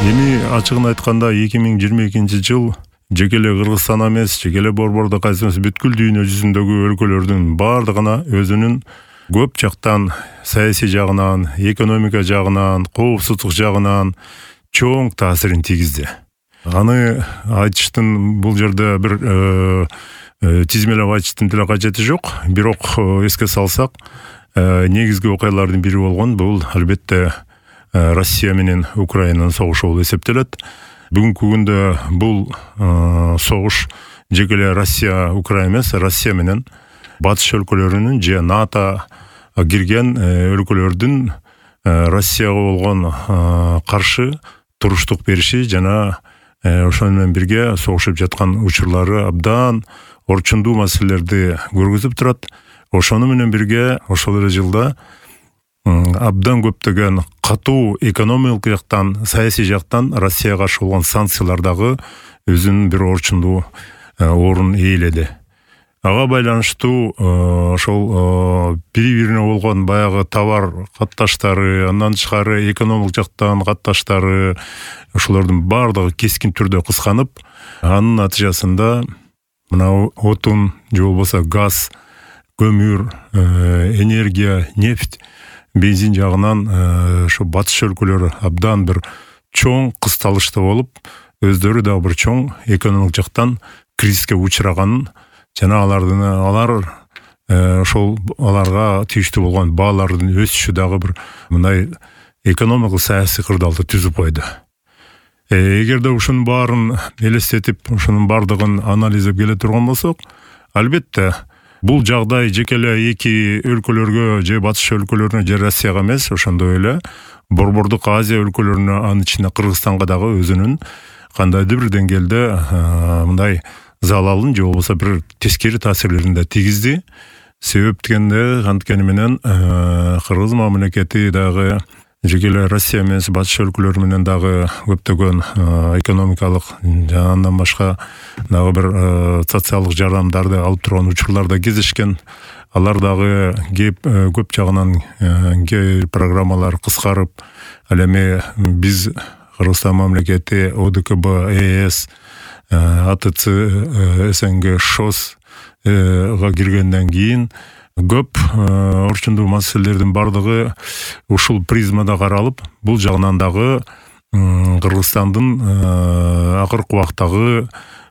Эми ачыгын айтканда 2022 жыл жеке эле Кыргызстан эмес, жеке эле Борбордук Азия эмес, бүткүл дүйнө жүзүндөгү өлкөлөрдүн бардыгына өзүнүн көп жактан саясий жагынан, экономика жагынан, коопсуздук жагынан чоң таасирин тийгизди. Аны айтыштын бул жерде бир тизмелеп айтыштын деле кажети жок. Бирок эске салсак, негизги окуялардын бири болгон бул албетте Россия менен Украинанын согушу болуп эсептелет. Бүгүнкү күндө бул согуш жеке эле Россия, Украина эмес, Россия менен батыш өлкөлөрүнүн же НАТО кирген өлкөлөрдүн Россияга болгон каршы туруштук бериши жана ошону менен бирге согушуп жаткан учурлары абдан орчундуу маселелерди көргөзүп турат. Ошону менен бирге ошол эле жылда абдан көптөгөн катуу экономикалык жактан, саясий жактан Россияга каршы болгон санкциялар дагы өзүнүн бир орчундуу орун ээледи. Ага байланыштуу ошол бири-бирине болгон баягы товар катташтары, андан тышкары экономикалык жактан катташтары ошолордун бардыгы кескин түрдө кысканып, анын натыйжасында мына отун же болбосо газ, көмүр, энергия, нефть, бензин жагынан ошо батыш өлкөлөрү абдан бир чоң кысталышта болуп, өздөрү дагы бир чоң экономикалык жактан кризиске учураганын жана аларга тийиштүү болгон баалардын өсүшү дагы бир мындай экономикалык саясий кырдаалды түзүп койду. Эгерде ушунун баарын элестетип, ушунун бардыгын анализдеп келе турган болсок, албетте бул жагдай жеке эле эки өлкөлөргө же батыш өлкөлөрүнө же Россияга эмес, ошондой эле Борбордук Азия өлкөлөрүнө, анын ичинде Кыргызстанга дагы өзүнүн кандайдыр бир деңгээлде мындай залалын же болбосо бир тескери таасирлерин да тийгизди. Себеп дегенде анткени менен Кыргыз мамлекети дагы жеке эле Россия эмес, батыш өлкөлөрү менен дагы көптөгөн экономикалык жана андан башка дагы бир социалдык жардамдарды алып турган учурларда кездешкен. Алар дагы көп жагынан программалар кыскарып, ал эми биз Кыргызстан мамлекети ОДКБ, ЕС, АТЦ, СНГ, ШОС-га киргенден кийин көп орчундуу маселелердин бардыгы ушул призмада каралып, бул жагынан дагы Кыргызстандын акыркы убактагы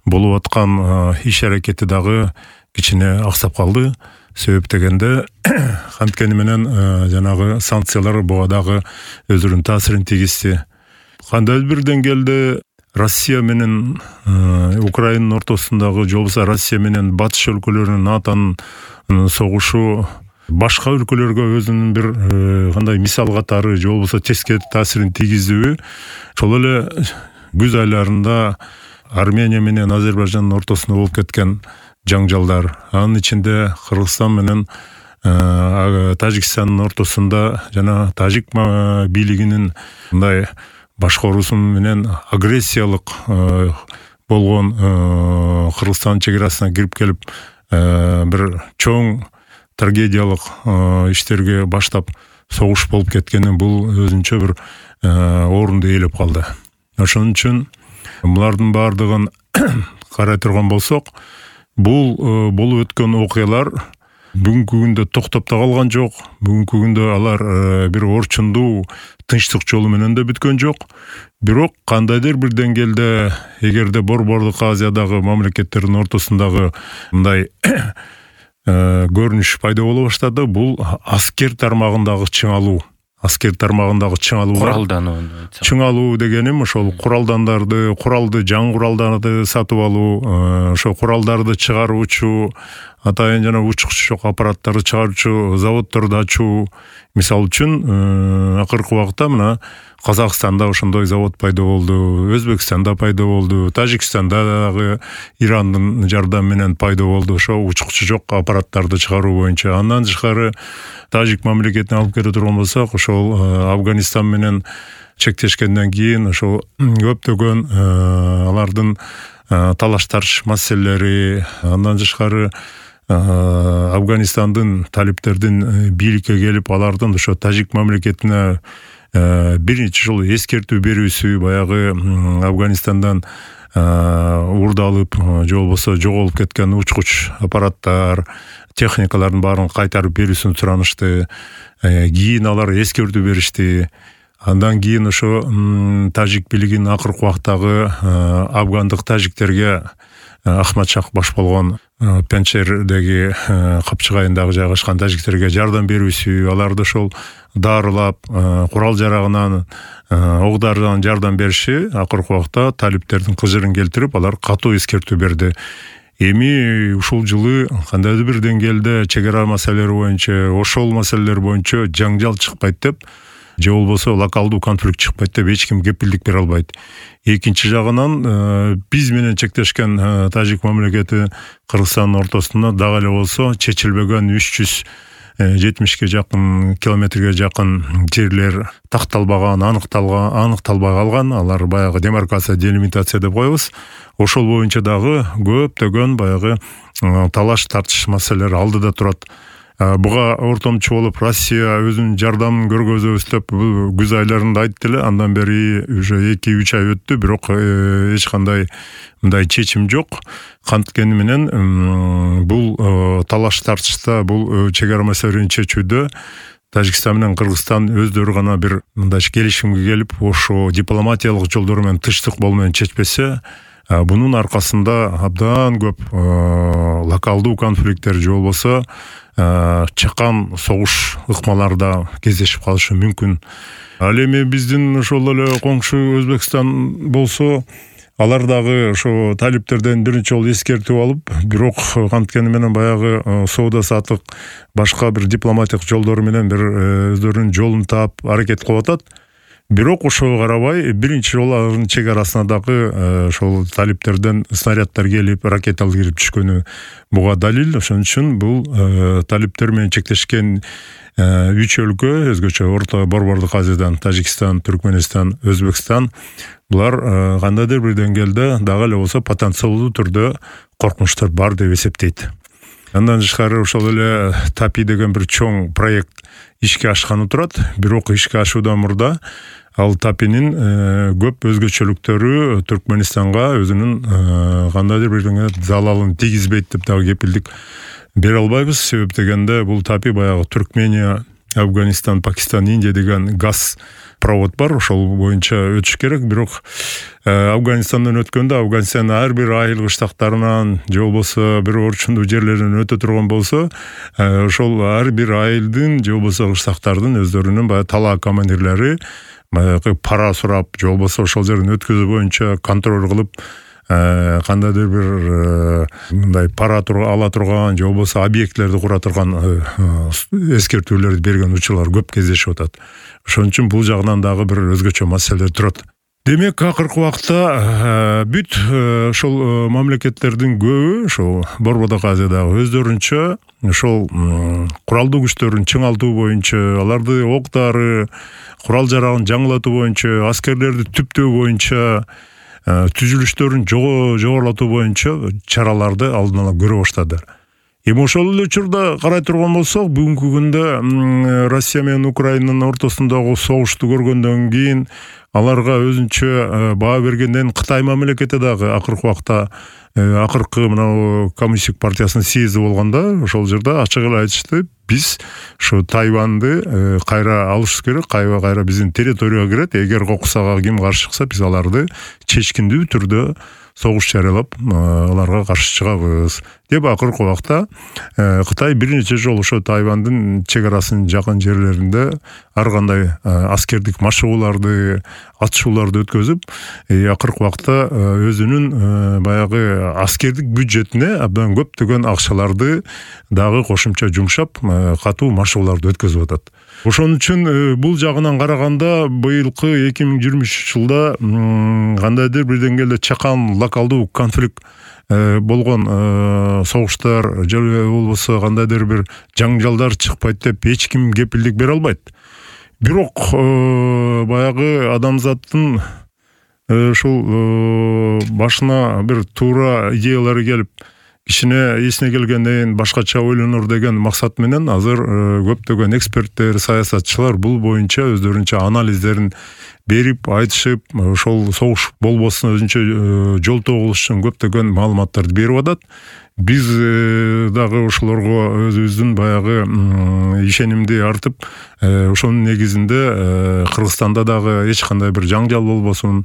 болуп аткан иш аракети дагы кичине аксап калды. Себеп дегенде анткени менен жанагы санкциялар буга дагы өзүнүн таасирин тийгизди. Кандайдыр бир деңгээлде Россия менен Украинанын ортосундагы, же болбосо Россия менен батыш өлкөлөрүнүн, НАТОнун согушу башка өлкөлөргө өзүнүн бир кандай мисал катары же болбосо тескери таасирин тийгиздиби? Ошол эле күз айларында Армения менен Азербайжандын ортосунда болуп кеткен жаңжалдар, анын ичинде Кыргызстан менен Тажикстандын ортосунда жана тажик бийлигинин мындай башкаруусу менен агрессиялык болгон Кыргызстан чек арасына кирип келип бир чоң трагедиялык иштерге баштап согуш болуп кеткени бул өзүнчө бир орунду ээлеп калды. Ошон үчүн булардын бардыгын карай турган болсок, бул болуп өткөн окуялар бүгүнкү күндө токтоп да калган жок. Бүгүнкү күндө алар бир орчундуу тынчтык жолу менен да бүткөн жок. Бирок кандайдыр бир деңгээлде эгерде Борбордук Азиядагы мамлекеттердин ортосундагы мындай көрүнүш пайда боло баштады, бул аскер тармагындагы чыңалуу. Аскер тармагындагы чыңалуу дегеним ошол куралды, жаңы куралдарды сатып алуу, ошо куралдарды чыгаруучу, атайын жана учкучу жок аппараттарды чыгаруучу заводдорду ачуу. Мисалы үчүн акыркы убакта мына Казакстанда ошондой завод пайда болду, Өзбекстанда пайда болду, Тажикстанда дагы Ирандын жардамы менен пайда болду ошо учкучу жок аппараттарды чыгаруу боюнча. Андан тышкары тажик мамлекетине алып келе турган болсок, ошол Афганистан менен чектешкенден кийин ошол көптөгөн алардын талаш-тарыш маселелери, андан тышкары Афганистандын талиптердин бийликке келип, алардын ошо тажик мамлекетине биринчи жолу эскертүү берүүсү баягы Афганистандан уурдалып же болбосо жоголуп кеткен учкуч аппараттар, техникалардын баарын кайтарып берүүсүн суранышты. Кийин алар эскертүү беришти. Андан кийин ошо тажик бийлигинин акыркы убактагы афгандык тажиктерге Ахмадшах баш болгон Пенчердеги капчыгайындагы жайгашкан тажиктерге жардам берүүсү, аларды ошол дарылап, курал жарагынан, ок-дарыдан жардам бериши акыркы убакта талиптердин кыжырын келтирип, алар катуу эскертүү берди. Эми ушул жылы кандайдыр бир деңгээлде чек ара маселелери боюнча, ошол маселелер боюнча жаңжал чыкпайт деп, же болбосо локалдуу конфликт чыкпайт деп эч ким кепилдик бере албайт. Экинчи жагынан биз менен чектешкен тажик мамлекети Кыргызстандын ортосунда дагы эле болсо чечилбеген 370 жакын километрге жакын жерлер такталбаган, аныкталбай калган. Алар баягы демаркация, делимитация деп коебуз. Ошол боюнча дагы көптөгөн баягы талаш тартыш маселелер алдыда турат. Буга ортомчу болуп Россия өзүнүн жардамын көргөзөбүз деп күз айларында айтты эле. Андан бери уже 2-3 ай өттү, бирок эч кандай мындай чечим жок. Канткени менен бул талаш тартышта, бул чек ара маселелерин чечүүдө Тажикстан менен Кыргызстан өздөрү гана бир мындай келишимге келип, ошо дипломатиялык жолдор менен, тынчтык болуу менен чечпесе, бунун аркасында абдан көп локалдуу конфликттер же болбосо чакан согуш ыкмаларда кездешип калышы мүмкүн. Ал эми биздин ошол эле коңшу Өзбекстан болсо, алар дагы ошо талиптерден биринчи жолу эскертүү алып, бирок канткени менен баягы соода саттык башка бир дипломатиялык жолдор менен бир өздөрүнүн жолун таап аракет кылып атат. Бирок ошого карабай биринчи жолу алардын чек арасына дагы ошол талиптерден снаряддар келип, ракеталар кирип түшкөнү буга далил. Ошон үчүн бул талиптер менен чектешкен 3 өлкө, өзгөчө Орто Борбордук Азиядан Тажикстан, Түркмөнстан, Өзбекстан, булар кандайдыр бир деңгээлде дагы эле болсо потенциалдуу түрдө коркунучтар бар деп эсептейт. Андан тышкары ошол эле ТАПИ деген бир чоң проект ишке ашканы турат. Бирок ишке ашуудан мурда ал ТАПИнин көп өзгөчөлүктөрү Түркмөнстанга өзүнүн кандайдыр бир залалын тийгизбейт деп дагы кепилдик бере албайбыз. Себеп дегенде бул ТАПИ баягы Түркмения, Афганистан, Пакистан, Индия деген газ провод бар, ошол боюнча өтүш керек. Бирок Афганистандан өткөндө Афганистан ар бир айыл кыштактарынан же болбосо бир орчундуу жерлеринен өтө турган болсо, ошол ар бир айылдын же болбосо кыштактардын өздөрүнүн баягы талаа командирлери баягы пара сурап, же болбосо ошол жерден өткөзүү боюнча контроль кылып, кандайдыр бир мындай пара ала турган же болбосо объектлерди кура турган эскертүүлөрдү берген учурлар көп кездешип атат. Ошон үчүн бул жагынан дагы бир өзгөчө маселелер турат. Демек, акыркы убакта бүт ошол мамлекеттердин көбү ошол Борбордук Азиядагы өздөрүнчө ошол куралдуу күчтөрүн чыңалтуу боюнча, аларды ок-дары, курал жарагын жаңылатуу боюнча, аскерлерди түптөө боюнча, түзүлүштөрүн жогорулатуу боюнча чараларды алдын ала көрө баштады. Эми ошол эле учурда карай турган болсок, бүгүнкү күндө Россия менен Украинанын ортосундагы согушту көргөндөн кийин аларга өзүнчө баа бергенден Кытай мамлекети дагы акыркы убакта акыркы мына Коммунисттик партиясынын съезди болгондо ошол жерде ачык эле айтышты: биз ушу Тайваньды кайра алышыбыз керек, кайра биздин территорияга кирет. Эгер кокусага ким каршы чыкса, биз аларды чечкиндүү түрдө согуш жарыялап, аларга каршы чыгабыз деп акыркы убакта Кытай бир нече жолу ошо Тайвандын чек арасынын жакын жерлеринде ар кандай аскердик машыгууларды, атышууларды өткөзүп, акыркы убакта өзүнүн баягы аскердик бюджетине абдан көптөгөн акчаларды дагы кошумча жумшап, катуу машыгууларды өткөзүп атат. Ошон үчүн бул жагынан караганда быйылкы 2023 жылда кандайдыр бир деңгээлде чакан локалдуу конфликт болгон согуштар же болбосо кандайдыр бир жаңжалдар чыкпайт деп эч ким кепилдик бере албайт. Бирок баягы адамзаттын ушул башына бир туура идеялары келип, кичине эсине келгенден башкача ойлонор деген максат менен азыр көптөгөн эксперттер, саясатчылар бул боюнча өздөрүнчө анализдерин берип, айтышып, ошол согуш болбосун өзүнчө жолтоо кылыш үчүн көптөгөн маалыматтарды берип атат. Биз дагы ошолорго өзүбүздүн баягы ишенимди артып, ошонун негизинде Кыргызстанда дагы эч кандай бир жаңжал болбосун,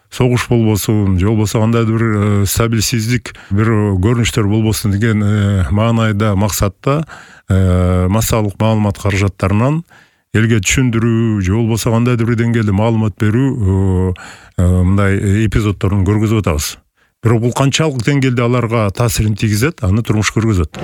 согуш болбосун, же болбосо кандайдыр бир стабилсиздик бир көрүнүштөр болбосун деген маанайда, максатта массалык маалымат каражаттарынан элге түшүндүрүү, же болбосо кандайдыр бир деңгээлде маалымат берүү мындай эпизоддорун көргөзүп атабыз. Бирок бул канчалык деңгээлде аларга таасирин тийгизет, аны турмуш көргөзөт.